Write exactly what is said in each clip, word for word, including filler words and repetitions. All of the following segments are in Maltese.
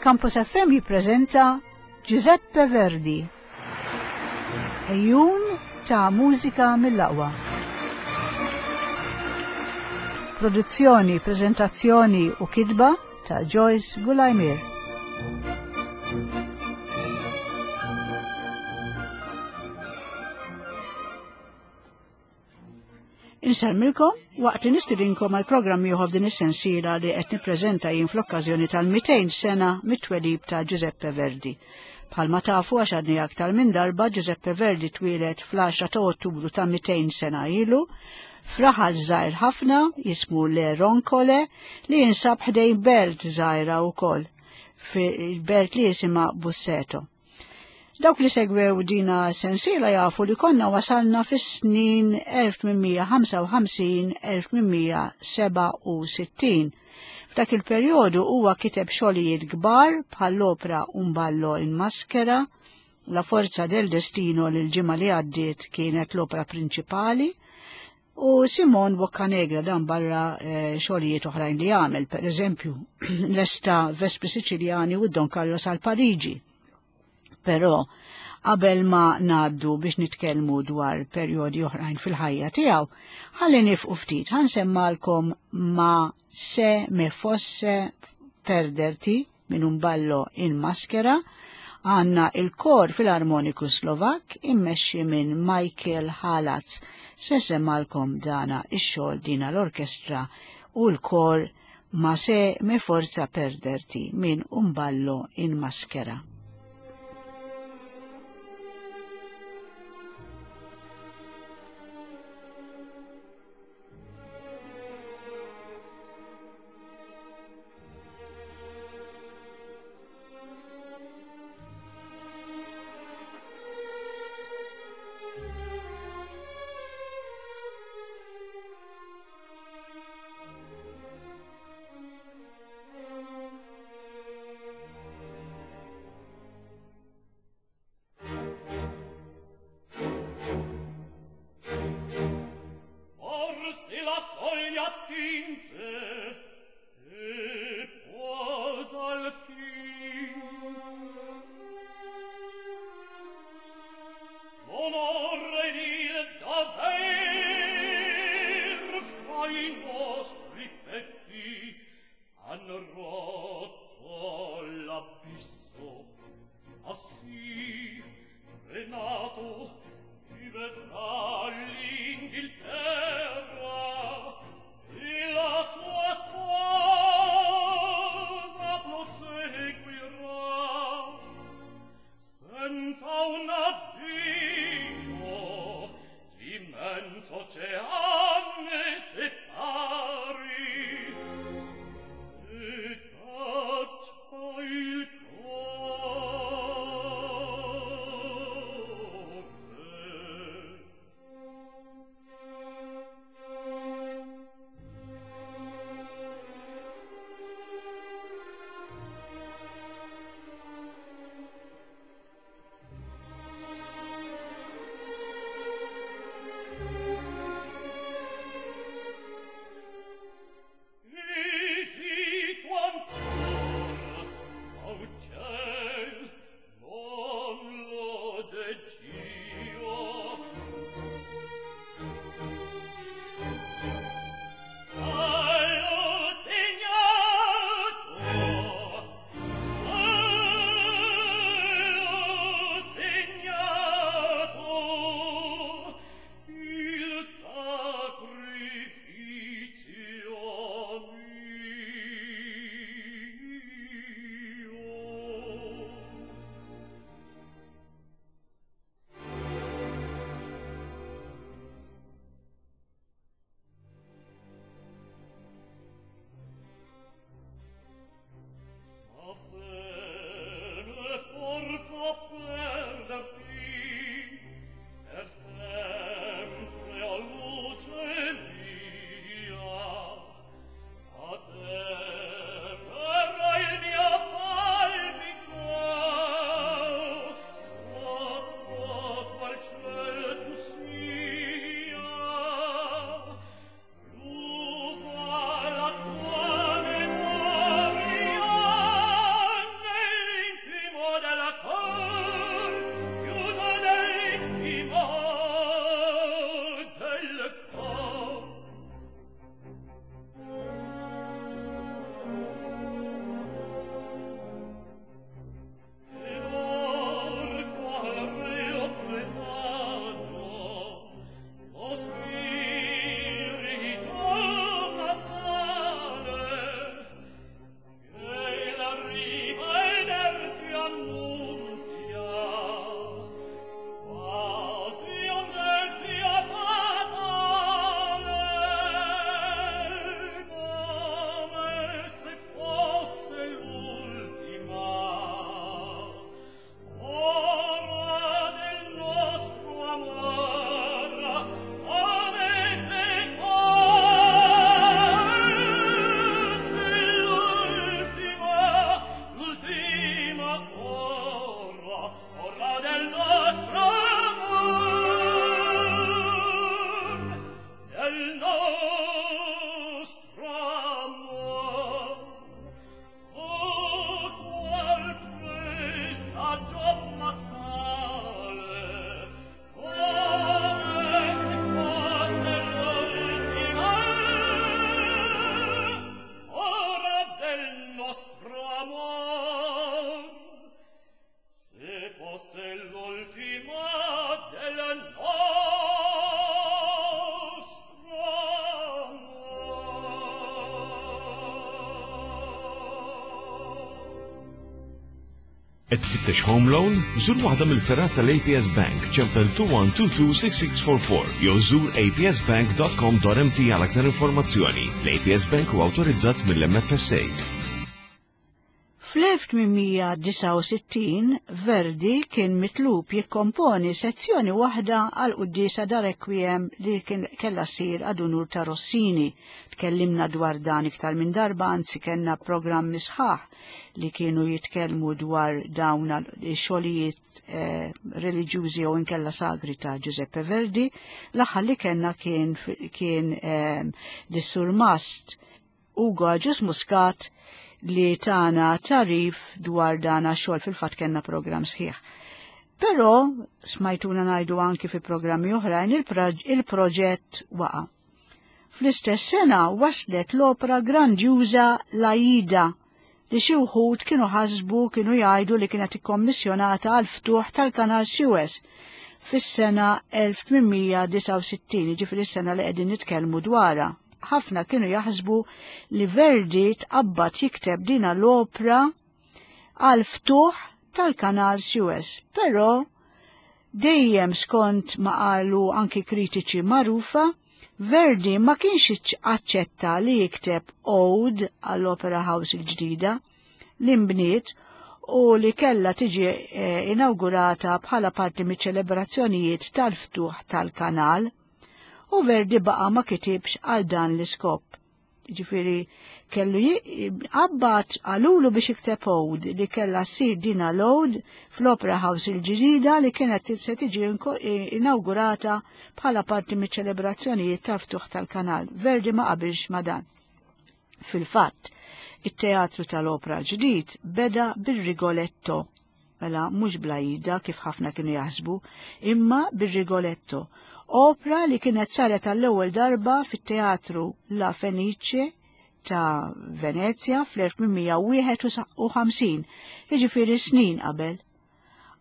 Campus F M jippreżenta Giuseppe Verdi. Ejjun ta' mużika mill-aqwa. Produzzjoni, prezentazzjoni u kitba ta' Joyce Gulajmir. Insellmilkom waqt li nistidinkom għal programm ieħor f'din is-sensiela li qed nippreżenta jien fl-okkażjoni tal-mitejn sena mit-twelib ta' Giuseppe Verdi. Bħalma tafu għax għadni aktar minn darba, Giuseppe Verdi twieled fl-għaxra ta' Ottubru ta' mitejn sena ilu f'raħal żgħir ħafna jismu Le Roncole li jinsab ħdejn belt żgħira wkoll, fil-belt li jisimha Busseto. Dawk li segwew dina sensiela jafu li konna wasalna fis-snin elf tmien ħamsa u ħamsin elf tmien seba' u sittin. F'dak il-perjodu huwa kiteb xogħlijiet kbar bħall-opra Un ballo in maschera, La forza del destino li l-ġimgħa li għaddiet kienet l-opra prinċipali, u Simon Boccanegra dan barra, eh, xogħlijiet oħrajn li għamel, per eżempju l-Esta Vespri Siciliani u Don Carlos għal Pariġi. Però qabel ma ngħaddu biex nitkellmu dwar perjodi oħrajn fil-ħajja tiegħu, ħalli nifqu ftit, ħansemmalkom ma se me fosse perderti minn un ballo in maschera. Għanna il-kor filarmoniku Slovak immexxi minn Michael Halatz. Se semmalkom dana ix-xogħol dina l-orkestra u l-kor ma se me forza perderti minn un ballo in maschera. Sua sposa lo segue. Qed tfittex home loan? Żur waħda mill-fergħat tal-A P S Bank, ċempel two one two two six six four four jew żur A P S bank dot com dot M T għal aktar informazzjoni. L-A P S Bank huwa awtorizzat mill-M F S A. Fl-elf tmien mija disgħa u sittin Verdi kien mitlub jikkomponi sezzjoni waħda għal quddiesa da Requiem li kien kella ssir ad unur ta' Rossini. Tkellimna dwar dan iktar minn darba, anzi kellna programmi sħaħ li kienu jitkellmu dwar dawn xogħlijiet eh, reliġjużi jew inkella sagri ta' Giuseppe Verdi. L-aħħar li kellna kien kien eh, l-Surmast Ugo Agius Muscat li tana tarif dwar dana xogħol, fil-fatt kellna programm sħiħ. Però smajtuna ngħidu anki fi programmi oħrajn, il-proġett waqa. Fl-istess sena waslet l-opera grandjuża L-Aida li xi wħud kienu ħasbu, kienu jgħidu li kienet ikkommissjonata għal ftuħ tal-Kanal Suez fis-sena elf tmien mija disgħa u sittin, ġifieri s-sena li qegħdin nitkellmu dwarha. Ħafna kienu jaħsbu li Verdi tqabbad jikteb dina l-opra għal ftuħ tal-Kanal Suez, però dejjem skont ma qalu anki kritiċi magħrufa, Verdi ma kienx aċċetta li jikteb ode għall-Opera House il-ġdida li mbniet u li kella tiġi eh, inaugurata bħala parti miċ-ċelebrazzjonijiet tal-ftuħ tal-kanal, u Verdi baqa ma kitibx għal dan l-iskop. Ġifieri, kellu qabbat qalulu biex jikteb ode li kella ssir dina l-ode fl-Opera House il-ġdida li kienet se tiġi inaugurata bħala parti miċ-ċelebrazzjonijiet tal-ftuħ tal-kanal. Verdi ma qabilx ma dan. Fil-fatt, it-teatru tal-opera ġdid beda bil-Rigoletto, mela mhux bl-Aida kif ħafna kienu jaħsbu, imma bil-Rigoletto, opera li kienet saret għall-ewwel darba fit-teatru La Fenice ta' Venezia fl-elf tmien mija wieħed u ħamsin, jiġifieri snin qabel.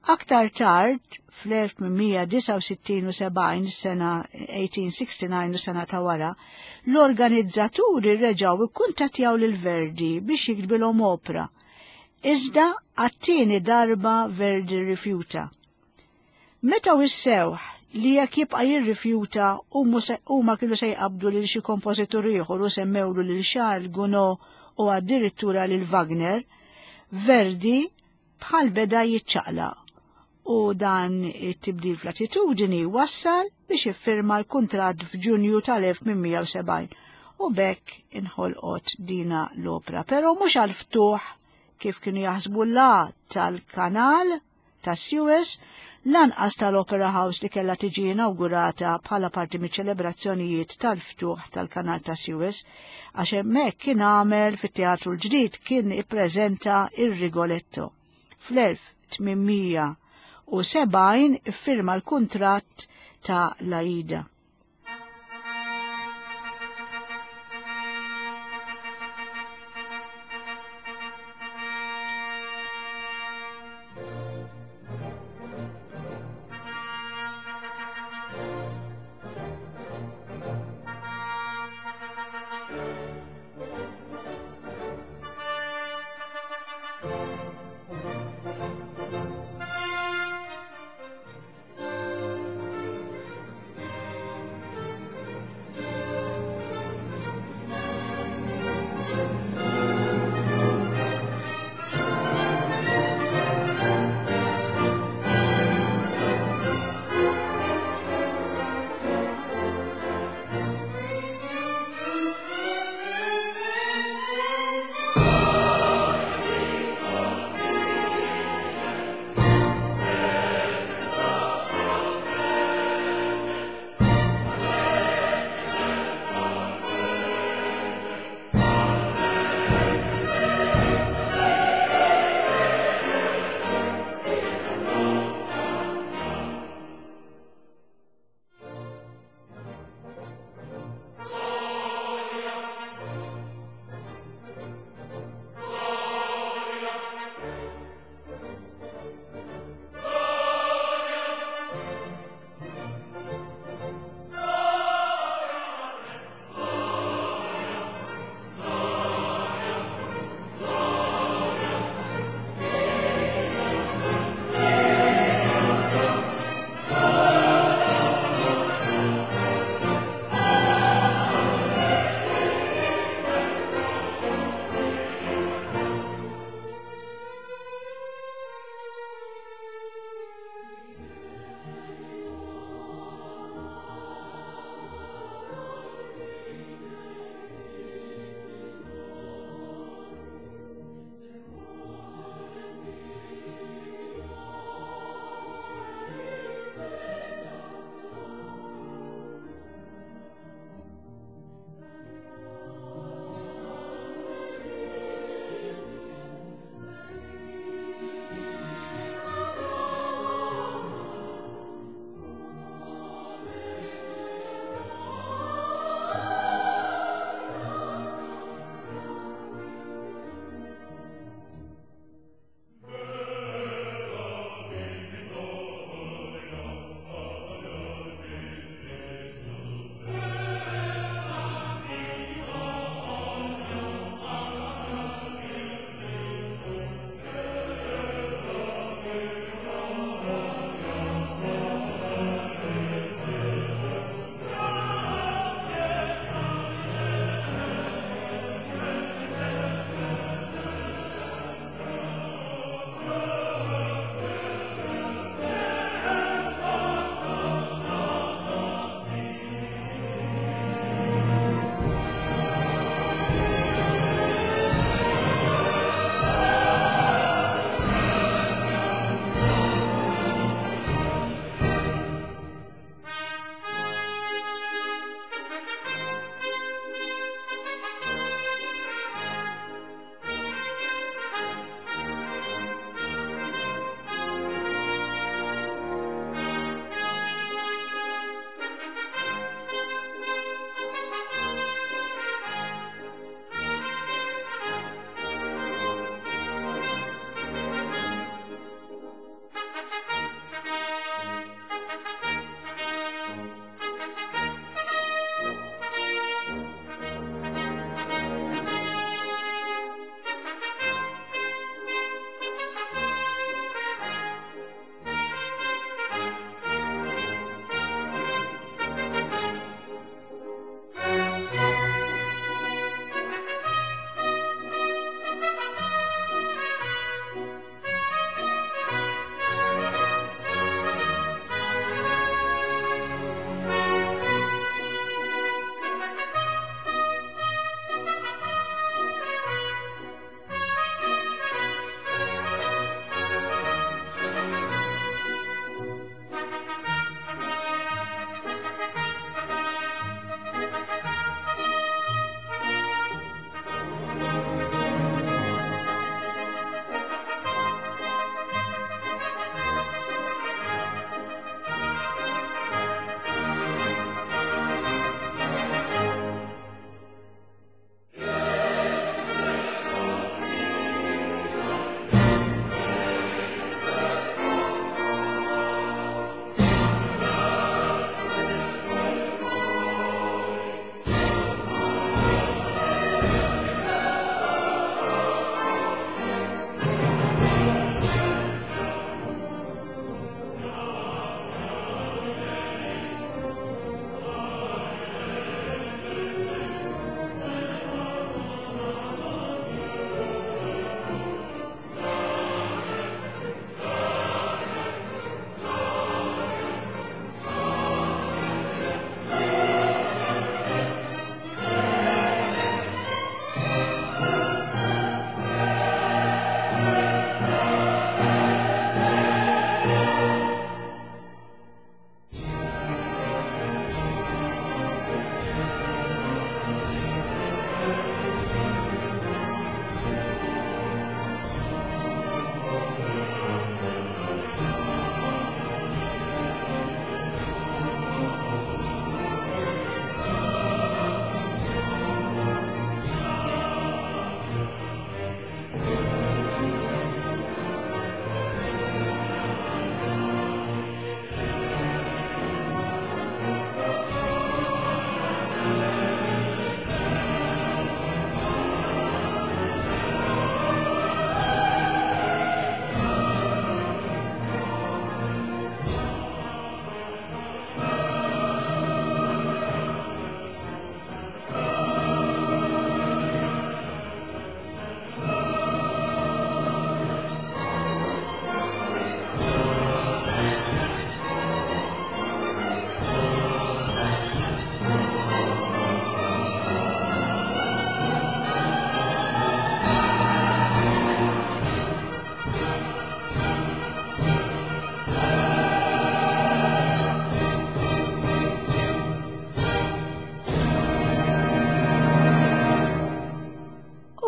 Aktar tard, fl-elf tmien mija disgħa u sittin u sebgħin, sena elf tmien mija disgħa u sittin u sena ta' wara, l-organizzaturi reġaw ikkuntattjaw lil Verdi biex jiktbilhom opera. Iżda għat-tieni darba Verdi rifjuta. Meta wissewh li jekk jibqa' jirrifjuta huma kienu se jqabdu lil xi kompożitur ieħor u semmewlu lil Charles Gounod u addirittura lil Wagner, Verdi bħal beda jiċċaqla u dan it-tibdil fl-attitudini wassal biex iffirma l-kuntratt f'Ġunju tal-elf tmien mija u sebgħin u b'hekk inħolqot dina l-opra. Però mhux għal-ftuħ kif kienu jaħsbu, la tal-kanal ta' Suez, lanqas tal-Opera House li kella tiġi inaugurata bħala parti miċ-ċelebrazzjonijiet tal-ftuħ tal-kanal ta' Suez, għax hemmhekk kien għamel fit-teatru l-ġdid kien ippreżenta ir-Rigoletto. Fl-elf tmien mija u sebgħin iffirma l-kuntratt ta' L-Aida.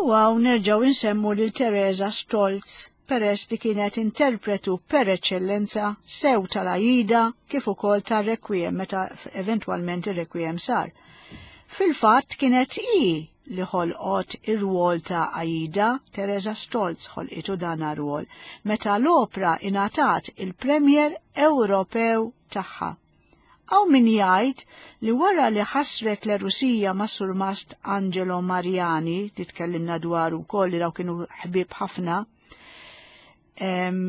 U hawn nerġgħu insemmu lil Teresa Stolz, peress li kienet interpretu per eċċellenza sew tal-Aida kif ukoll tar-Requiem meta eventwalment ir-Requiem sar. Fil-fatt kienet hi li ħolqot ir-rwol ta' Aida, Teresa Stolz ħolqitu dan ar-rwol, meta l-opra ingħatat il-Premier Ewropew tagħha. Hawn min jgħid li wara li ħasret l-Rusija ma' surmast Angelo Mariani, li tkellimna dwaru wkoll li daw kienu ħbieb ħafna, em,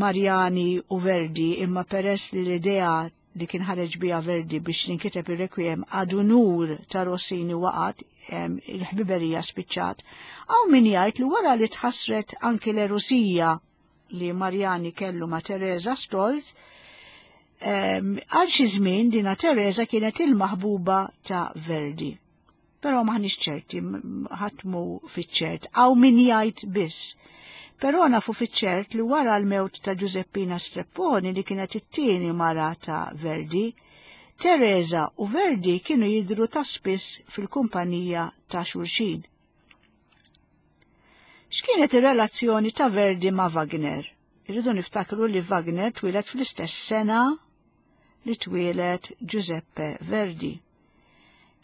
Mariani u Verdi, imma peress li l-idea li kien ħareġ bija Verdi biex jinkiteb ir-Requiem għadu nur ta' Rossini waqgħet, em, il-ħbiberija spiċċat. Hawn min jgħid li wara li tħassret anki l-Rusija li Mariani kellu ma' Teresa Stolz, em, għal xi żmien dina Teresa kienet il-maħbuba ta' Verdi. Però maħniex ċerti, ħadd mhu fiċ-ċert, hawn min jgħid biss. Però nafu fiċ-ċert li wara l-mewt ta' Giuseppina Strepponi, li kienet it-tieni mara ta' Verdi, Teresa u Verdi kienu jidru ta' spiss fil-kumpanija ta' xulxin. X'kienet ir-relazzjoni ta' Verdi ma' Wagner? Irridu niftakru li Wagner twieled fl-istess sena li twieled Giuseppe Verdi.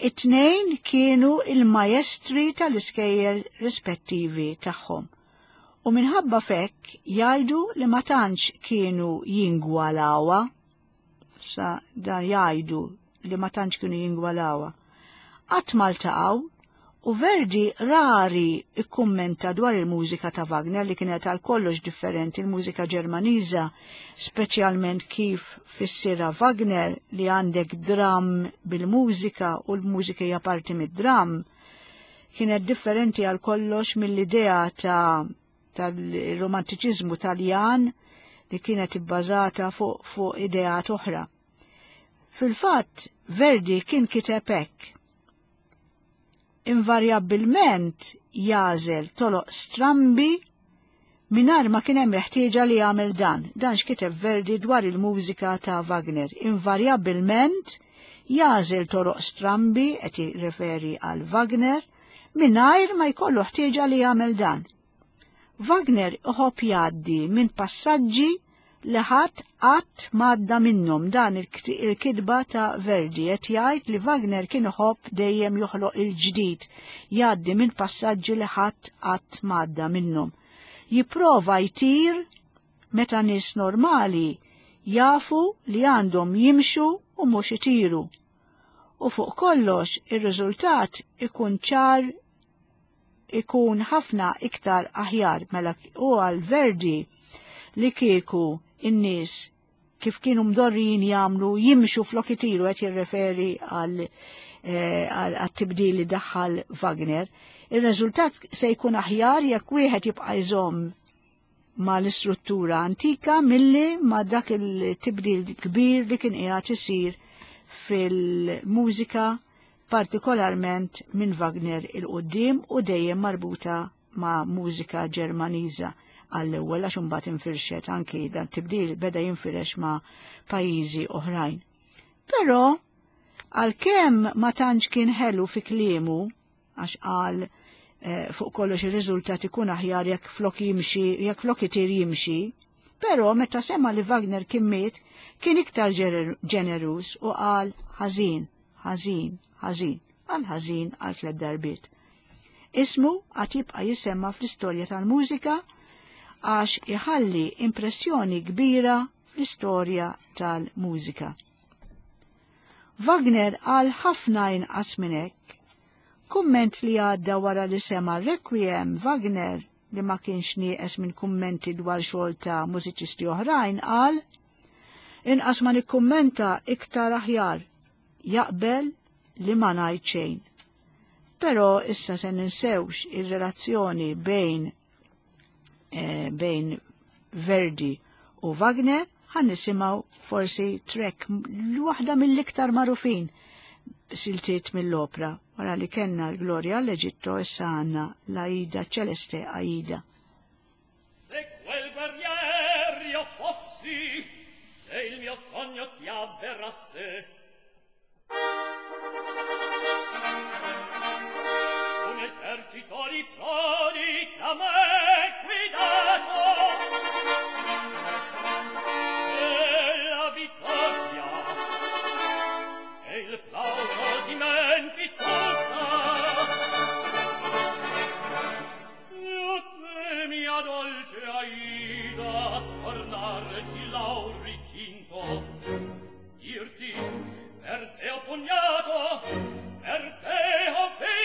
It-tnejn kienu il-maestri tal-iskejjel rispettivi tagħhom. U minħabba fekk jgħidu li ma tantx kienu jingwalawa, sa dan jgħidu li ma tantx kienu jingwalawa. Qatt ma ltaqgħu u Verdi rari ikkummenta dwar il-mużika ta' Wagner li kienet għal kollox differenti, il-mużika Ġermaniża, speċjalment kif fissira Wagner li għandek dram bil-mużika u l-mużika hija parti mid-dram, kienet differenti għal kollox mill-idea ta' tal-romantiċiżmu Taljan li kienet ibbażata fuq fu ideat oħra. Fil-fatt, Verdi kien kiteb hekk. Invarjabbilment jagħżel toroq strambi mingħajr ma kien hemm ħtieġa li jagħmel dan. Dan x'kiteb Verdi dwar il-mużika ta' Wagner. Invarjabbilment jagħżel toroq strambi, qed jirreferi għal Wagner, mingħajr ma jkollu ħtieġa li jagħmel dan. Wagner iħobb jgħaddi minn passaġġi li ħadd qatt m'għadda minnhom. Dan il-kitba ta' Verdi qed jgħid li Wagner kien iħobb dejjem joħloq il-ġdid, jgħaddi minn passaġġi li ħadd qatt m'għadda minnhom. Jipprova jtir meta nies normali jafu li għandhom jimxu u mhux itiru. U fuq kollox ir-riżultat ikun ċar, ikun ħafna iktar aħjar. Mela u għal Verdi li kieku in-nies kif kienu mdorrijin jagħmlu jimxu flok itiru, qed jirreferi għal għat-tibdil li daħħal Wagner, ir-riżultat se jkun aħjar jekk wieħed jibqa' jżomm ma l-istruttura antika milli ma dak il-tibdil kbir li kien qiegħed isir fil-mużika, partikolarment minn Wagner il-qoddim u dejjem marbuta ma' mużika Ġermaniża għall-ewwel, għax imbagħad infirxet anki dan tibdil beda jinfirex ma' pajjiżi oħrajn. Però għalkemm ma tantx kien ħelu fi kliemu, għax qal eh, fuq kollox ir-riżultat ikun aħjar jekk flok jimxi, jekk flok itir jimxi, però meta sema li Wagner kien miet, kien iktar ġenerus u qal ħażin, ħażin, ħażin, għal ħażin għal tliet darbiet. Ismu għad jibqa' jisemma fl-istorja tal-mużika għax iħalli impressjoni kbira fl-istorja tal-mużika. Wagner għal ħafna inqas minn hekk. Kumment li għadda wara li sema Requiem, Wagner, li ma kienx nieqes minn kummenti dwar xogħol ta' mużiċisti oħrajn, qal inqas ma nikkummenta iktar aħjar, jaqbel li ma ngħid xejn. Però issa se ninsewx ir-relazzjoni bejn eh, bejn Verdi u Wagner, ħan nisimgħu forsi trek waħda mill-iktar magħrufin siltiet mill-opra. Wara li kellna l-Gloria all'Egitto, issa għandna l-Aida Celeste Aida. Se quel guerrier io fossi, se il mio sogno si avverasse, un esercito L'esercito di prodi da me guidato, e la vittoria e il plauso di Menfi tutta. Io te, mia dolce Aida, tornare di lauri cinto, dirti per te ho pugnato, per te ho vinto.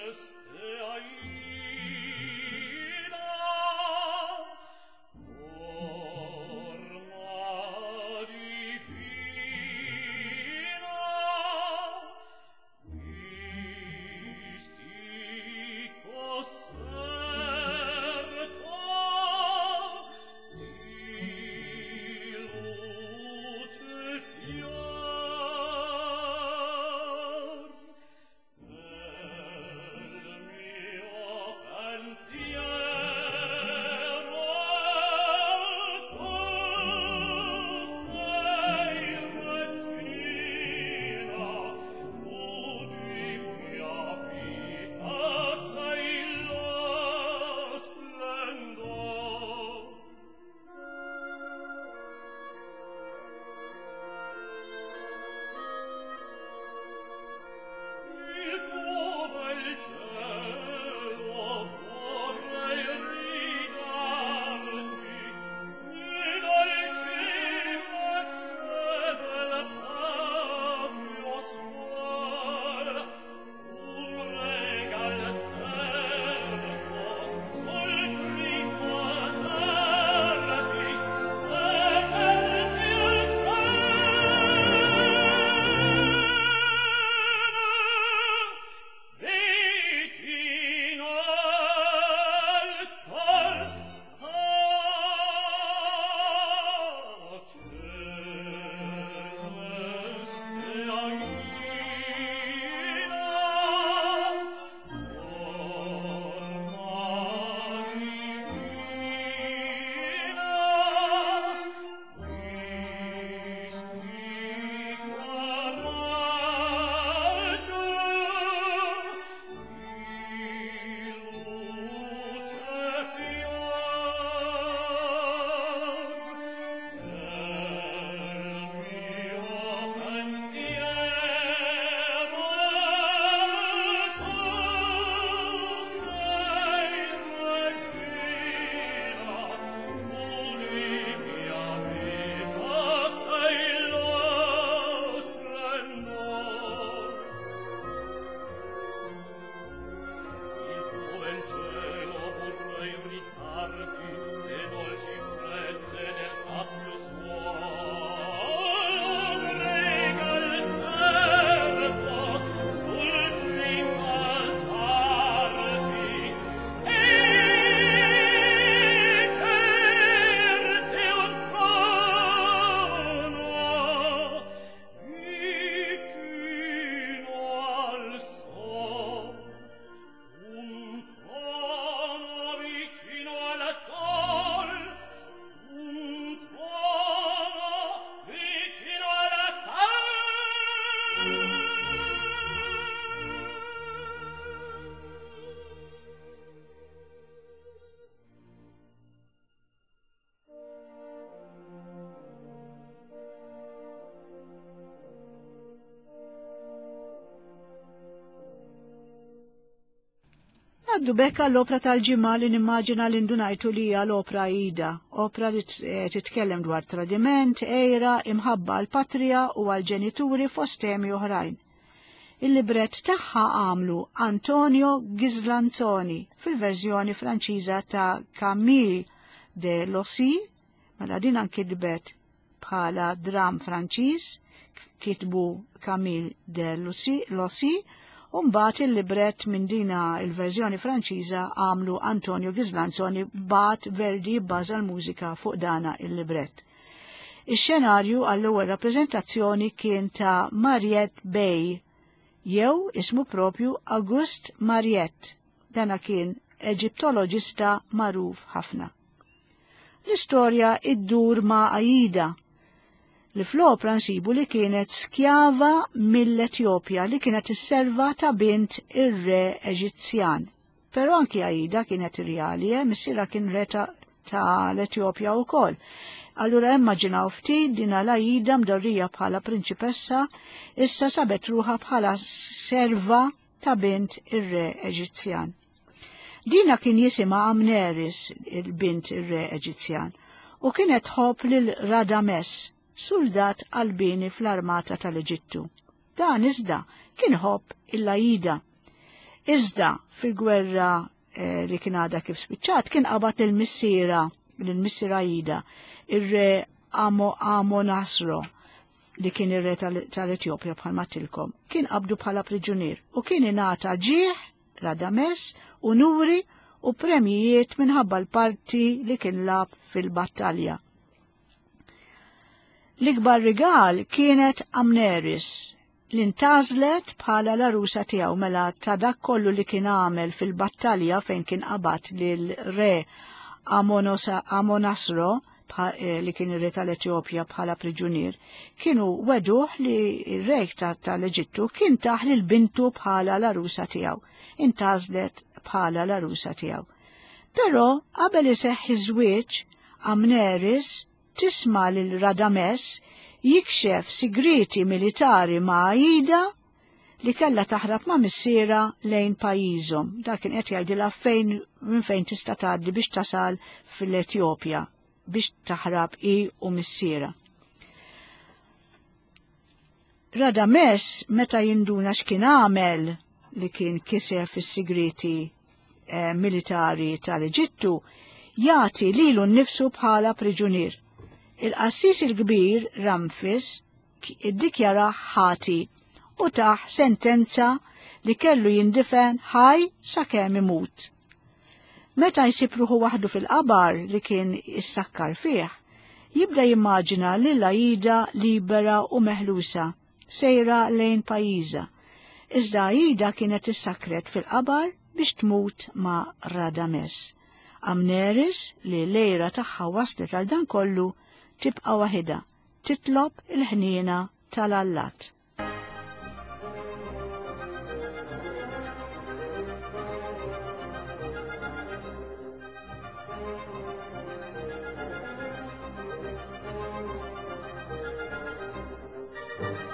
Celeste Aida, forma divina, mistico serto di luce fior, nel mio pensiero tu sei regina, tu di mia vita sei lo splendor. Il tuo bel cielo vorrei ridarti, le dolci brezze del patrio suol, un regal servo sul primo alzarti, e per il vicino al sol. Ah, celeste Aida, forma divina, mistico raggio di luce fior, nel mio pensiero tu sei regina, tu di mia vita sei lo splendor. Il tuo bel cielo vorrei ridarti, le dolci brezze del patrio suol, un regal servo sul primo alzarti, e certi un trono vicino al sol, un trono vicino al sol, un trono vicino al sol. Għaddu bekka l-opra tal-ġimgħa li nimmaġina li ndunajtu li hija l-opra Aida, opra li titkellem dwar tradiment, għira, imħabba għal patrija u għal ġenituri fost temi oħrajn. Il-libret tagħha għamlu Antonio Ghislanzoni fil-verżjoni Franċiża ta' Camille de Lossi, mela din anki libret bħala dram Franċiż, kitbu Camille de Lossi, Lossi, u mbagħad il-libret minn dina il-verżjoni Franċiża għamlu Antonio Ghislanzoni bat Verdi bbaża l-mużika fuq dana il-libret. Ix-xenarju għall-ewwel rappreżentazzjoni kien ta' Mariette Bey. jew ismu propju August Mariette. Dana kien Eġiptoloġista magħruf ħafna. L-istorja iddur ma' Aida, li fl-opra nsibu li kienet skjava mill-Etjopja li kienet isserva ta' bint ir-re Eġizzjan. Però anki Aida kienet rjali, eh? Missierha kien re ta' l-Etjopja wkoll. Allura immaġinaw ftit din l-Aida mdorrija bħala prinċipessa, issa sabet ruħha bħala serva ta' bint ir-re Eġizzjan. Dina kien jisimha Amneris, il-bint ir-re Eġizzjan, u kienet tħobb lil Radames, soldat qalbini fl-armata tal-Eġittu. Dan iżda kien ħobb il-Aida. Iżda fil-gwerra eh, li kien għadha kif spiċċat kien qabad lil-missiera, lil-missiera Aida, ir-re Amo Amonasro, li kien ir-re tal-Etjopja bħalma tilkom, kien qabdu bħala priġunier u kien ingħata ġieħ Radames, unuri u premjijiet minħabba l-parti li kien lab fil-battalja. L-ikbar rigal kienet Amneris, li ntgħażlet bħala l-arusa tiegħu mela ta' dak kollu li kien għamel fil-battalja fejn kien qabad lil re Amonasro, li kien ir-re tal-Etjopja bħala priġunier, kienu weduh li r-re tal-Eġittu kien taħ lil bintu bħala l-arusa tiegħu. Intgħażlet bħala l-arusa tiegħu. Però qabel iseħħ iż-żwieġ, Amneris tisma' lil Radames jikxef sigriti militari ma' Aida li kellha taħrab ma' missiera lejn pajjiżhom. Dak kien qed jgħidilha fejn minn fejn tista' tgħaddi biex tasal fil-Etjopja biex taħrab hi u missiera. Radames meta jinduna x'kien għamel li kien kisef is-sigriti eh, militari tal-Eġittu, jagħti lilu nnifsu bħala priġunier. Il-qassis il-kbir Ramfis iddikjara ħati u taħ sentenza li kellu jindifen ħaj sakemm imut. Meta jsib ruħu waħdu fil-qabar li kien issakkar fih, jibda jimmaġina lil Aida libera u meħlusa, sejra lejn pajjiżha. Iżda Aida kienet issakret fil-qabar biex tmut ma' Radames. Amneris, li lejra tagħha waslet għal dan kollu, tibqa' waħidha, titlob il-ħniena tal-allat. Thank you.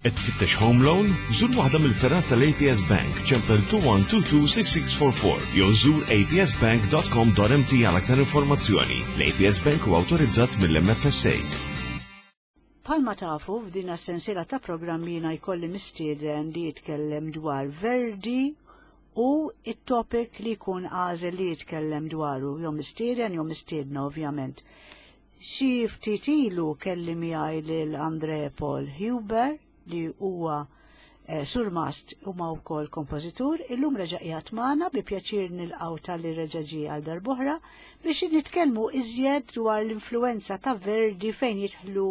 Qed tfittex home loan? Żur waħda mill-fergħat tal-A P S Bank, ċempel two one two two six six four four jew żur A P S bank dot com dot M T għal aktar informazzjoni. L-A P S Bank huwa awtorizzat mill-M F S A. Bħalma tafu, f'din sensiela ta' programmi jiena jkolli mistieden li jitkellem dwar Verdi u it-topic li jkun għażel li jitkellem dwaru, jew mistieden jew mistiedna, ovvjament. Xi ftit ilu kelli miegħi lil Andre Paul Huber li huwa eh, surmast u ma wkoll kompożitur. Illum reġa' qiegħed magħna, bi pjaċir nilqgħu talli reġa' ġie għal darb'oħra biex nitkellmu iżjed dwar l-influenza ta' Verdi fejn jidħlu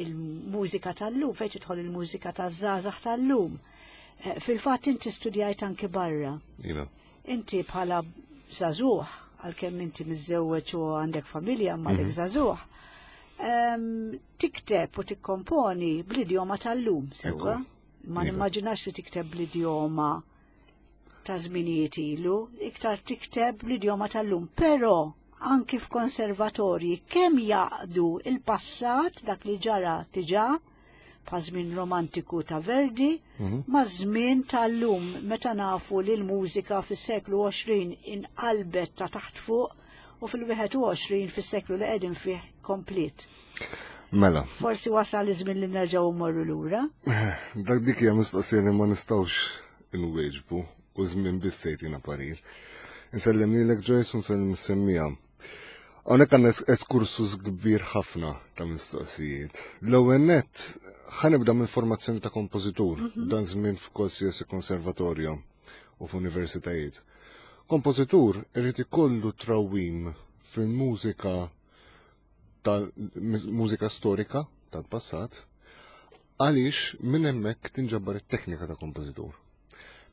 il-mużika tal-lum, fejn tidħol il-mużika taż-żgħażagħ tal-lum. Eh, Fil-fatt inti studjajt anki barra. Iva. Inti bħala żagħżugħ, għalkemm inti miżżewweġ u għandek familja, ma għadek żagħżugħ, em, tikteb u tikkomponi bl-idjoma tal-lum, sewwa? Ekku. Ma Iva. nimmaġinax li tikteb bl-idjoma ta' żminijiet ilu, iktar tikteb bl-idjoma tal-lum, però anki f'konservatorji kemm jaqdu il-passat, dak li ġara diġà pa' żmien romantiku ta' Verdi, ma' żmien tal-lum, meta nafu li l-mużika fis-seklu għoxrin inqalbet ta' taħt fuq u fil-wieħed u għoxrin, fis-seklu li qegħdin fih, komplet. Mela, Forsi wasal iż-żmien li nerġgħu mmorru lura. dak dik hija mistoqsija li ma nistgħux inwieġbu u żmien biss se jtina parir. Insellem lilek, Joyce, u nsellem is-semmiegħa. Hawnhekk għandna es- eskursus kbir ħafna ta' mistoqsijiet. L-ewwel nett ħa nibda minn formazzjoni ta' kompożitur, dan żmien f'qualsiasi konservatorju u f'universitajiet. Kompożitur irid ikollu trawim fil-mużika, tal-mużika storika tal-passat, għaliex minn hemmhekk tinġabbar it-teknika ta' kompożitur.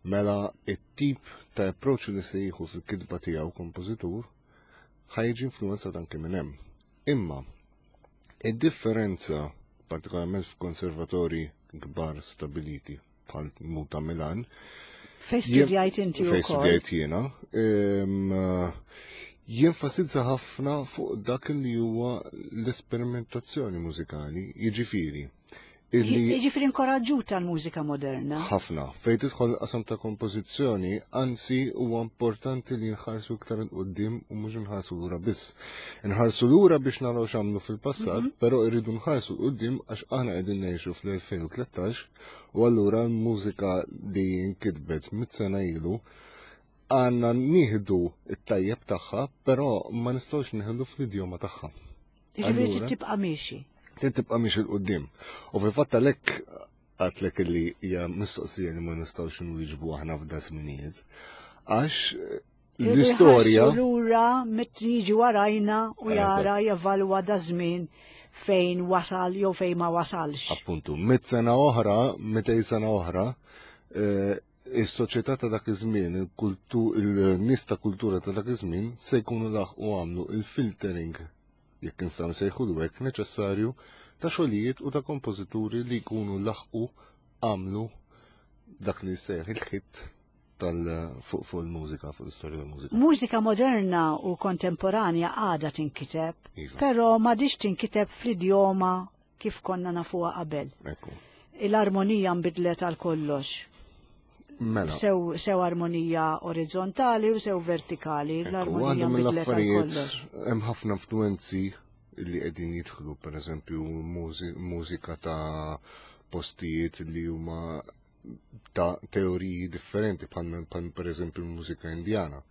Mela it-tip ta' approach li se jieħu fil-kitba tiegħu kompożitur ħa jiġi influenzat anke minn hemm. Imma id-differenza, partikolarment f'konservatori kbar stabiliti bħal Muta Milan, Fejn studjajt inti fejn wkoll. studjajt jiena, em, jenfasizza ħafna fuq dak li huwa l-esperimentazzjoni mużikali, jiġifieri illi Jiġifieri inkoraġġuta l-mużika moderna. Ħafna. Fejn tidħol qasam ta' kompożizzjoni, anzi huwa importanti li nħarsu iktar 'il quddiem u mhux nħarsu lura biss. Nħarsu lura biex naraw x'għamlu fil-passat, però irridu nħarsu 'l quddiem għax aħna qegħdin ngħixu fl-elfejn u tlettax u allura l-mużika li nkitbet mit sena ilu għandna nieħdu it-tajjeb tagħha, però ma nistgħux nieħdu fl-idjoma tagħha. Jiġifieri Allura- trid tibqa' miexi. Trid tibqa' miex 'il quddiem. U fil-fatt għalhekk għedtlek li hija mistoqsija li ma nistgħux nwieġbu aħna f'da żminijiet. Għax l-istorja Irridu lura mit jiġi warajna u jara, Eżatt. jevalwa da żmien fejn wasal jew fejn ma wasalx. Appuntu, mit sena oħra, mitej sena oħra, eh, is-soċjetà ta' dak iż-żmien, il-kultu- il-nies ta' kultura ta' dak iż-żmien se jkunu laħqu għamlu il-filtering, jekk nistgħu nsejħu hekk, neċessarju ta' xogħlijiet u ta' kompożituri li jkunu laħqu għamlu dak li jsejjaħ il-hit tal fuq fuq il-mużika, fuq l-istorja tal-mużika. Mużika moderna u kontemporanja għada tinkiteb, Iva. però m'għadhiex tinkiteb fl-idjoma kif konna nafuha qabel. Ekku. L-armonija nbidlet għal kollox. Mela. Sew, sew armonija orizzontali u sew vertikali, Ekku, l-armonija waħda nbidlet għal mill-affarijiet kollox. Hemm ħafna influenzi li qegħdin jidħlu, pereżempju mużi- mużika ta' postijiet li huma ta' teoriji differenti, bħal bħal pereżempju l-mużika Indjana.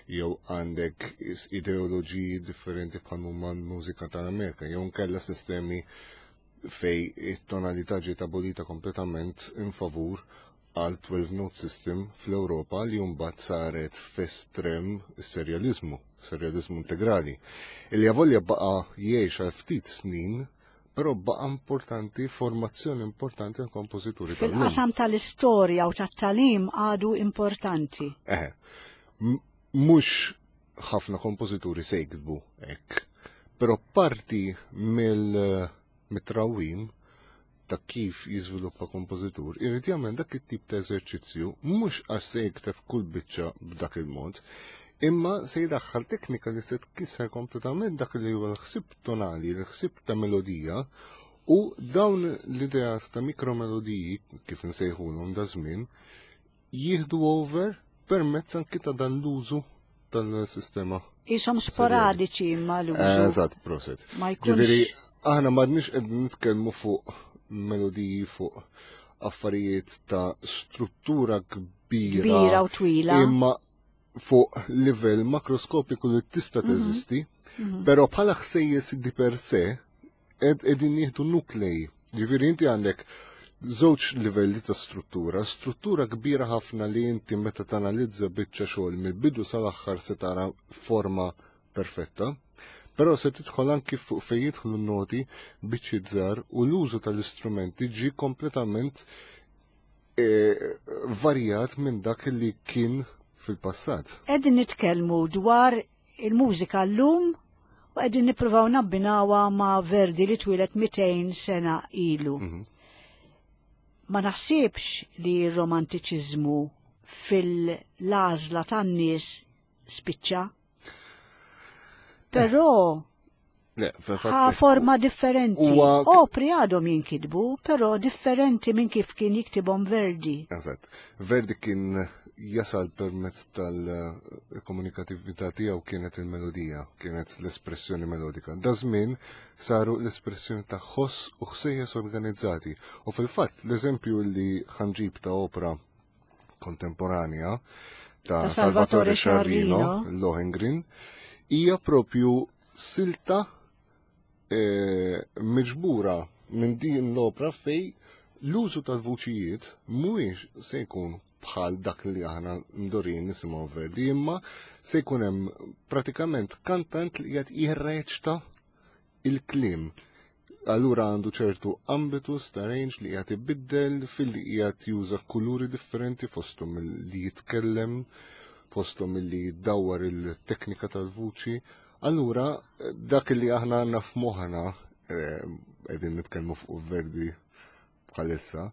Jew għandek is- ideoloġiji differenti bħal huma l-mużika tal-Amerika, jew nkella sistemi fej it-tonalità ġiet abolita kompletament in favur għal twelve note system fl-Ewropa li mbagħad saret f'estrem serjalizmu, serjalizmu integrali. Illi avolja baqa jgħix għal ftit snin, però baqa importanti, formazzjoni importanti għal kompożituri tal-lum. Fil-qasam tal-istorja u tat-tagħlim għadu importanti. Eħe, m- mhux ħafna kompożituri se jiktbu hekk, però parti mill mit-trawim ta' kif jiżviluppa kompożitur, irid jagħmel dak it-tip ta' eżerċizzju mhux għax se jikteb kull biċċa b'dak il-mod, imma se jdaħħal teknika li se tkisser kompletament dak li huwa l-ħsieb tonali, l-ħsieb ta' melodija, u dawn l-ideat ta' mikromelodiji, kif nsejħulhom da żmien, jieħdu over permezz anki ta' dan l-użu tal-sistema. Isom sporadiċi imma l-użu. Eżatt, proset. Ma jkunx. Ġifieri, aħna m'għadniex qegħdin nitkellmu fuq melodiji, fuq affarijiet ta' struttura kbira. Kbira u twila. Imma fuq livell makroskopiku li tista' teżisti, però bħala ħsejjes di per se qegħdin nieħdu nuklei. Ġifieri inti għandek żewġ livelli ta' struttura, struttura kbira ħafna li inti meta tanalizza biċċa xogħol mill-bidu sal-aħħar se tara forma perfetta, però se tidħol anki fuq fejn jidħlu n-noti biċċiet żgħar u l-użu tal-istrumenti ġie kompletament eh, varjat minn dak li kien fil-passat. Qegħdin nitkellmu dwar il-mużika llum u qegħdin nippruvaw nabbinawha ma' Verdi li twieled mitejn sena ilu. Ma naħsibx li r-romantiċiżmu fil-għażla tan-nies spiċċa. Però Le, fil-fatt ħa forma differenti. Huwa- Opri għadhom jinkitbu, però differenti minn kif kien jiktibhom Verdi. Eżatt. Verdi kien jasal permezz tal-komunikatività tiegħu kienet il-melodija, kienet l-espressjoni melodika. Da żmien saru l-espressjoni ta' ħoss u ħsejjes organizzati. U fil-fatt l-eżempju li ħanġib ta' opera kontemporanja ta' Ta' Salvatore Salvatore Sciarrino, Sciarrino. Lohengrin, hija propju silta eh, miġbura minn din l-opra fej l-użu tal-vuċijiet mhuwiex se jkun bħal dak li aħna mdorin nisimgħu Verdi, imma se jkun hemm pratikament kantant li qed jirreċta il-kliem. Allura għandu ċertu ambitus ta' range li qiegħed ibiddel fil-li qiegħed juża kuluri differenti fosthom li jitkellem, fosthom li jdawwar il-teknika tal-vuċi. Allura dak li aħna għandna f'moħħna, eh, qegħdin nitkellmu fuq Verdi bħalissa,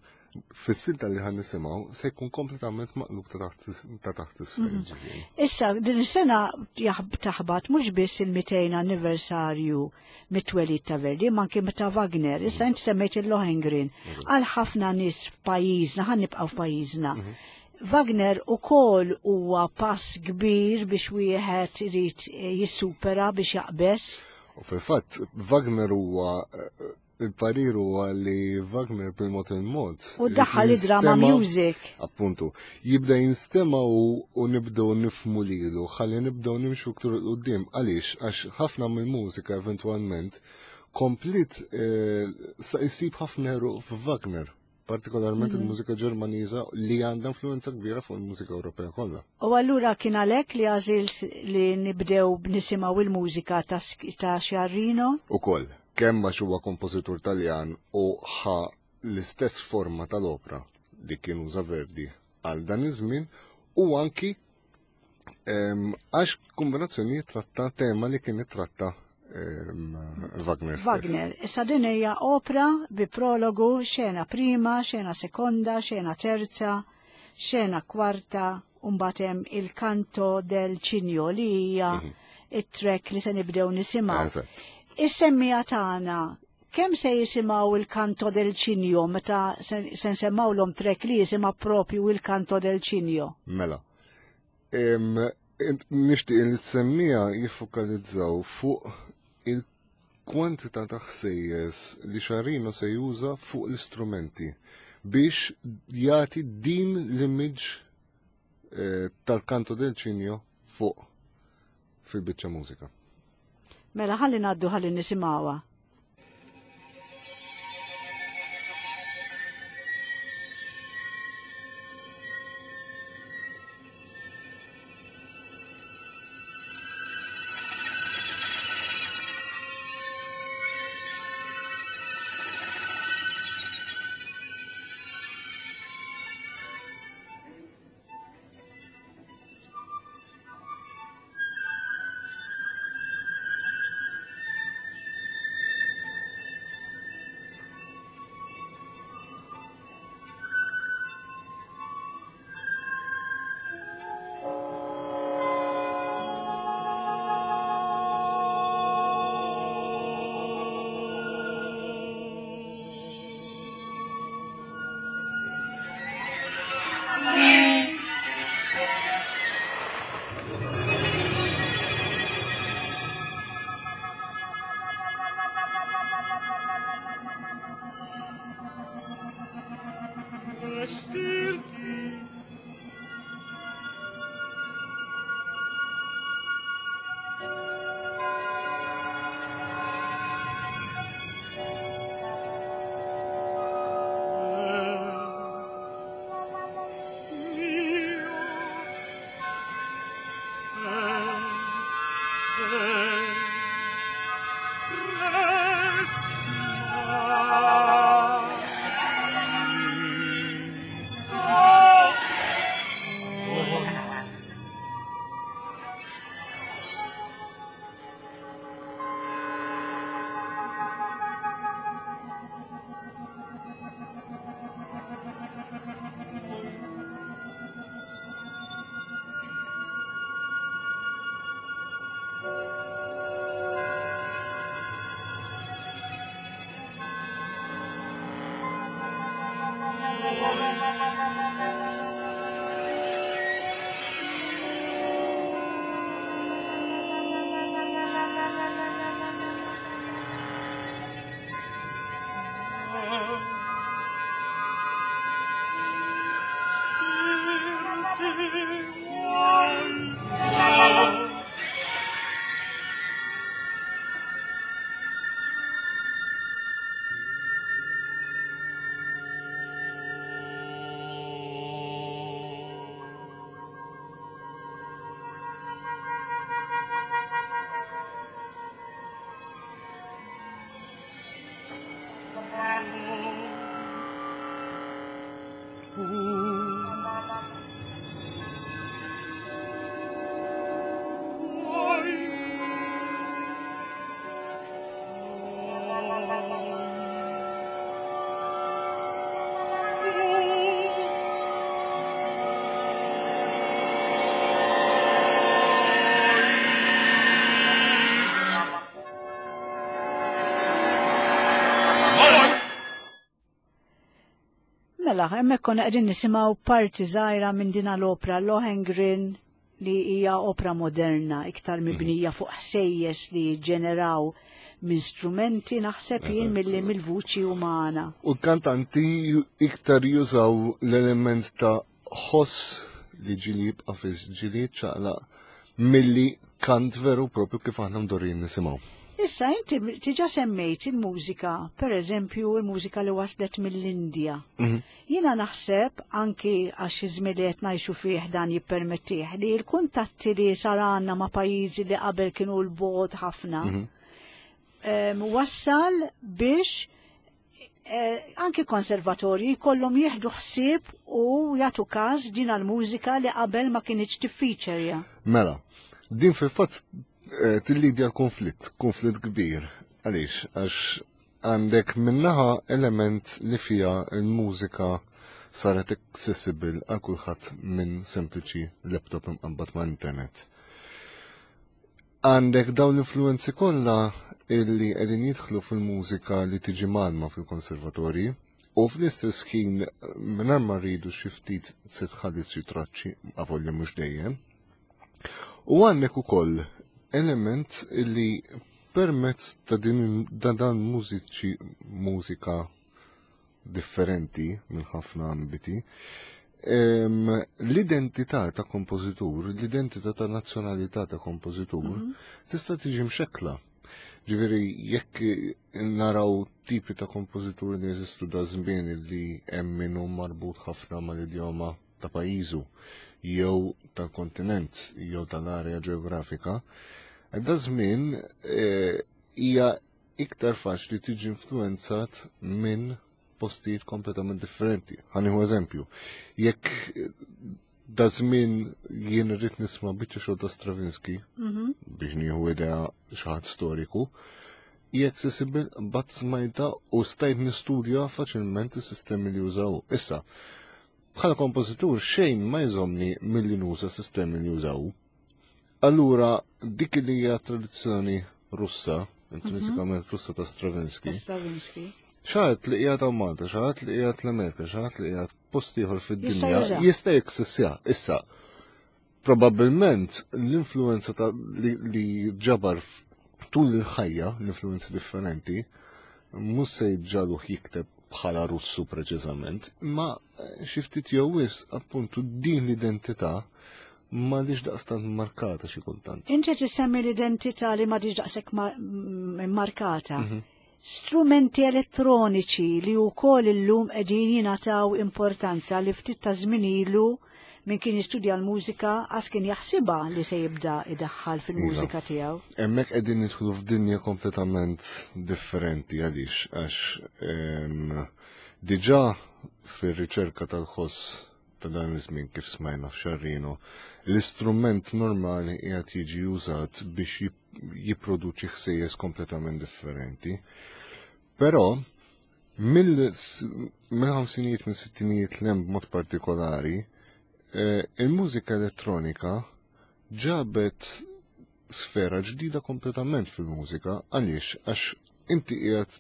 fis-silta li ħan nisimgħu se jkun kompletament maqlub ta' taħt ta' taħt isfel. Ġifieri. Issa, din is-sena jaħb- taħbat mhux biss il-mitejn anniversarju mit-twelid ta' Verdi, ma anke ta' Wagner. Issa inti semmejt il-Lohengrin. Għal ħafna nies f'pajjiżna, ħan nibqgħu f'pajjiżna. Wagner ukoll huwa pass kbir biex wieħed irid jissupera biex jaqbes. U fil-fatt Wagner huwa eh, il-parir huwa li Wagner bil-mod il-mod. U daħħal id-drama jinstema' music. Appuntu, jibda jinstema u, u nibdew nifmu lilu, ħalli nibdew nimxu iktar 'il quddiem. Għaliex, għax ħafna mill-mużika eventwalment komplit eh, sa jsib ħafna eruq f'Wagner, partikolarment il-mużika Ġermaniża li għandha influenza kbira fuq il-mużika Ewropea kollha. U allura kien għalhekk li għażilt li nibdew nisimgħu il-mużika ta' Sk- ta' Sciarrino. Ukoll, kemm għax huwa kompożitur Taljan u ħa l-istess forma tal-opra li kien uża Verdi għal dan iż-żmien u anki em, għax kombinazzjoni tratta tema li kien ittratta em, Wagner stess. Wagner. Issa din hija opra bi prologu, xena prima, xena sekonda, xena terza, xena kwarta, u mbagħad hemm il-canto del Cigno li hija it-track li se nibdew nisimgħu. Eżatt. Is-semmija tagħna kemm se jisimgħu il-canto del Cigno meta se se nsemmawlhom track li jisimha propju il-canto del Cigno? Mela. Em, em, Nixtieq li t-semmija jiffokalizzaw fuq il-kwantità ta' ħsejjes li Sciarrino se juża fuq l-istrumenti biex jagħti din l-image eh, tal-canto del Cigno fuq fil-biċċa mużika. Mela ħalli ngħaddu ħalli nisimgħuha. Thank Mela, hemmhekk konna qegħdin nisimgħu parti żgħira minn din l-opra Lohengrin li hija opra moderna, iktar mibnija fuq ħsejjes li ġeneraw minn strumenti naħseb jien milli mill-vuċi umana. U l-kantanti iktar jużaw l-element ta' ħoss li ġili jibqa' fis ġili ċaqlaq milli kant veru propju kif aħna mdorrin nisimgħu. Issa inti tiġa semmejt il-mużika, per eżempju il-mużika li waslet mill-Indja. Mhm. Jiena naħseb anki għax iż-żmien li qed ngħixu fih dan jippermettih li l-kuntatti li sar għandna ma' pajjiżi li qabel kienu l-bogħod ħafna Mhm. em, wassal biex eh, anki konservatorji jkollhom jieħdu ħsieb u jagħtu każ din għall-mużika li qabel ma kinitx tiffiċerja. Mela, din fil-fatt eh, tillidja konflitt, konflitt kbir. Għaliex, għax għandek minnaħa element li fija l-mużika saret accessible għal kulħadd minn sempliċi laptop imqabbad ma' internet. Għandek dawn l-influenzi kollha illi qegħdin jidħlu fil-mużika li tiġi malma fil-konservatorji u fl-istess ħin mingħajr ma rridu xi ftit se tħalli xi traċċi avolja mhux dejjem. U għandek ukoll element illi permezz ta' din da dan mużiċi mużika differenti minn ħafna ambiti, em, l-identità ta' kompożitur, l-identità ta' nazzjonalità ta' kompożitur tista' tiġi mxekkla. Ġifieri jekk naraw tipi ta' kompożituri li jeżistu da żmien li hemm min hu marbut ħafna mal-idjoma ta' pajjiżu jew tal-kontinent jew tal-area ġeografika, da żmien eh, hija iktar faċli tiġi influenzat minn postijiet kompletament differenti. Ħa nieħu eżempju, jekk da żmien jien irrid nisma' biċċa xogħol ta' Stravinsky biex nieħu idea xi ħadd storiku, hija accessible bat smajta u stajt nistudja faċilment is-sistemi li jużaw. Issa, bħala kompożitur xejn ma jżomni milli nuża sistemi li jużaw. Allura, dik li hija tradizzjoni Russa, intrinsikament Russa ta' Stravinsky, Stravinsky. xaħat li qiegħed hawn Malta, xaħat li qiegħed l-Amerika, xaħat li qiegħed post ieħor fid-dinja, Jista' juża. jista' jeksistja. Issa, probabbilment l-influenza ta' li, li ġabar f- tul il-ħajja, l-influenzi differenti, mhux se jġaluh jikteb bħala Russu preċiżament, imma eh, xi ftit jew wisq appuntu din l-identità ma lix daqstant markata xi kultant. Inti tissemmi l-identità li ma diġ daqshekk ma- m- markata. Strumenti elettroniċi li wkoll illum qegħdin jingħataw importanza li ftit ta' żmien ilu min kien jistudja l-mużika għas kien jaħsibha li se jibda idaħħal fil-mużika tiegħu. Hemmhekk qegħdin nidħlu f'dinja kompletament differenti għaliex għax em, diġà fir-riċerka tal-ħoss ta' dan iż-żmien kif smajna f'Xarrino, l-istrument normali qiegħed jiġi użat biex jip- jipproduċi ħsejjes kompletament differenti. Però mill-ħamsinijiet minn sittinijiet l b'mod partikolari, eh, il-mużika elettronika ġabet sfera ġdida kompletament fil-mużika għaliex għax inti qiegħed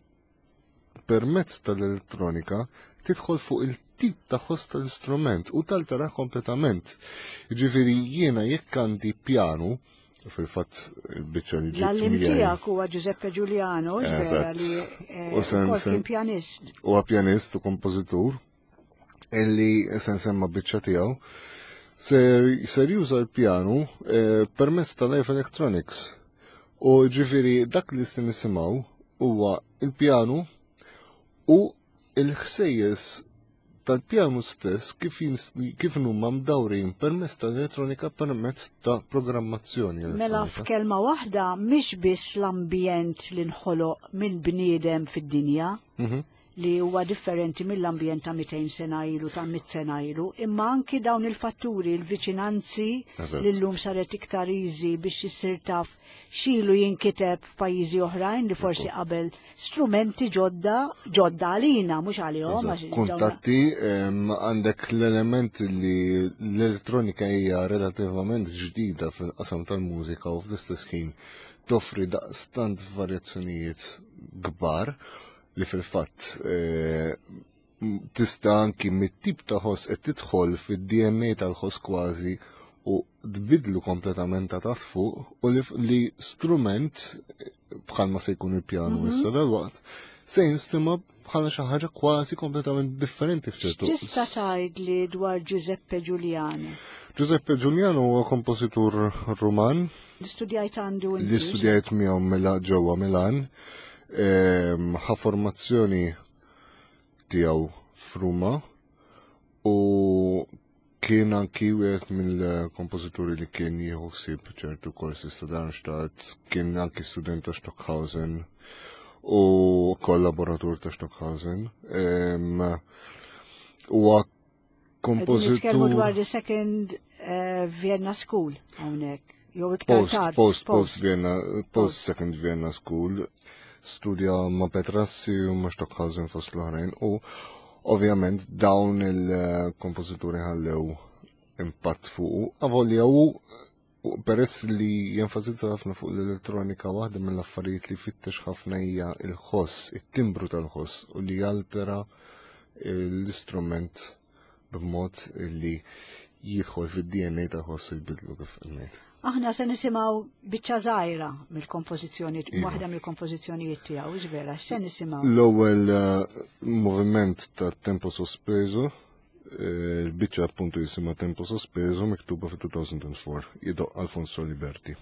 permezz tal-elettronika tidħol fuq il-tip ta' ħoss tal-istrument u taltara kompletament. Ġifieri jiena jekk għandi pjanu, fil-fatt il-biċċa li ġibt L-għallim miegħi tiegħek huwa Giuseppe Giuliano, vera Eżatt. li eh, U sen- ukoll sen- kien pjanist. huwa pjanist u kompożitur illi se nsemma biċċa tiegħu. Ser, ser juża l-pjanu eh, permezz ta' live electronics. U ġifieri dak li se nisimgħu huwa il-pjanu u il-ħsejjes tal-pjanu stess kif, kif huma mdawrin permezz ta' elettronika permezz ta' programmazzjoni. Mela f'kelma waħda mhix biss l-ambjent li nħoloq minn bniedem fid-dinja Mhm. li huwa differenti mill-ambjent ta' mitejn sena ilu, ta' mitt sena ilu, imma anki dawn il-fatturi, il-viċinanzi Eżatt. li llum saret iktar easy biex issir taf x'ilu jinkiteb f'pajjiżi oħrajn li forsi qabel strumenti ġodda, ġodda għalina, mhux għalihom. Eżatt. Għax dawn- Kuntatti, em, għandek l-element li l-elettronika hija relativament ġdida fil-qasam tal-mużika u fl-istess ħin toffri daqstant varjazzjonijiet kbar li fil-fatt eh, m- tista' anki mit-tip ta' ħoss qed tidħol fid-D N A tal-ħoss kważi u tbidlu kompletament ta' taħt fuq u li, li strument bħalma se jkun il-pjanu issa dal-waqt se jinstema bħala xi ħaġa kważi kompletament differenti f'ċertu. X'tista' tgħidli dwar Giuseppe Giuliano? Giuseppe Giuliano huwa kompożitur Ruman Li studjajt għandu inti? Li studjajt miegħu Mila ġewwa Milan. Ehm, ħa formazzjoni tiegħu f'Ruma u kien anki wieħed mill-kompożituri li kien jieħu ħsieb ċertu korsi ta' Darmstadt, kien anki student ta' Stockhausen u kollaboratur ta' Stockhausen. Ehm, Huwa Qegħdin nitkellmu dwar kompożitur the second eh, Vienna School hawnhekk. Jew iktar post, tard. post, post Vienna, post Second Vienna School, studja ma' Petrassi u ma' Stockhausen fost l-oħrajn u ovvjament dawn il-kompożituri ħallew impatt fuqu. Avolja u u peress li jenfasizza ħafna fuq l-elettronika, waħda mill-affarijiet li fittex ħafna hija il-ħoss, it-timbru tal-ħoss u li jaltera l-istrument b'mod li jidħol fid-D N A tal-ħoss u jbidlu kif ngħid. Aħna se nisimgħu biċċa żgħira mill-kompożizzjoni, Iva. waħda mill-kompożizzjonijiet tiegħu, vera, x'se nisimgħu? L-ewwel eh, moviment ta' Tempo Sospeso, eh, il-biċċa appuntu jisimha Tempo Sospeso, miktuba fi elfejn u erbgħa, jdoqq Alfonso Liberti.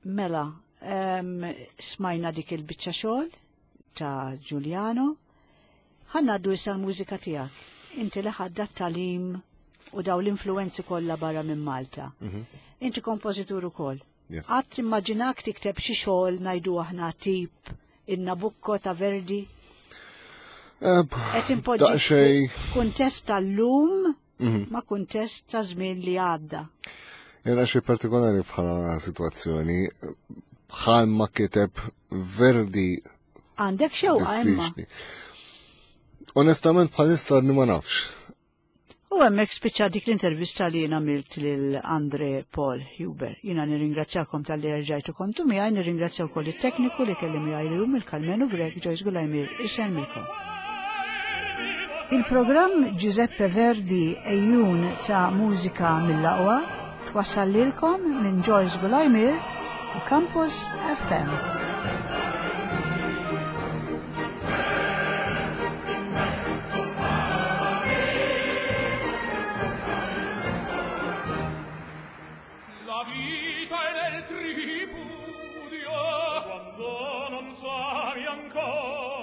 Mela, em, smajna dik il-biċċa xogħol ta' Giuliano. Ħa ngħaddu issa l-mużika tiegħek. Inti li ħadda talim u daw l-influenzi kollha barra minn Malta. Inti kompożitur ukoll. Yes. Qatt immaġinak tikteb xi xogħol ngħidu aħna tip in-Nabucco ta' Verdi? Eh, Qed impoġġi Daqsxejn kuntest tal-lum Mhm. ma' kuntest ta' żmien li għadda. Jena xi partikolari bħala situazzjoni, bħal ma kiteb Verdi Għandek xewqa imma. diffiċli. Onestament bħalissa għadni ma nafx. U hemmhekk spiċċa dik l-intervista li jien għamilt lil Andre Paul Huber. Jiena nirringrazzjakom talli rġajtu kontu miegħi, nirringrazzja wkoll it-tekniku li kelli miegħi llum il-Kalmenu Grek Joyce Gulajmir isellmilkom. Il-programm Giuseppe Verdi Ejjun ta' mużika mill-aqwa twassal lilkom minn Joyce Gulajmir u Campus F M. La vita è nel tripudio quando non savi ancora.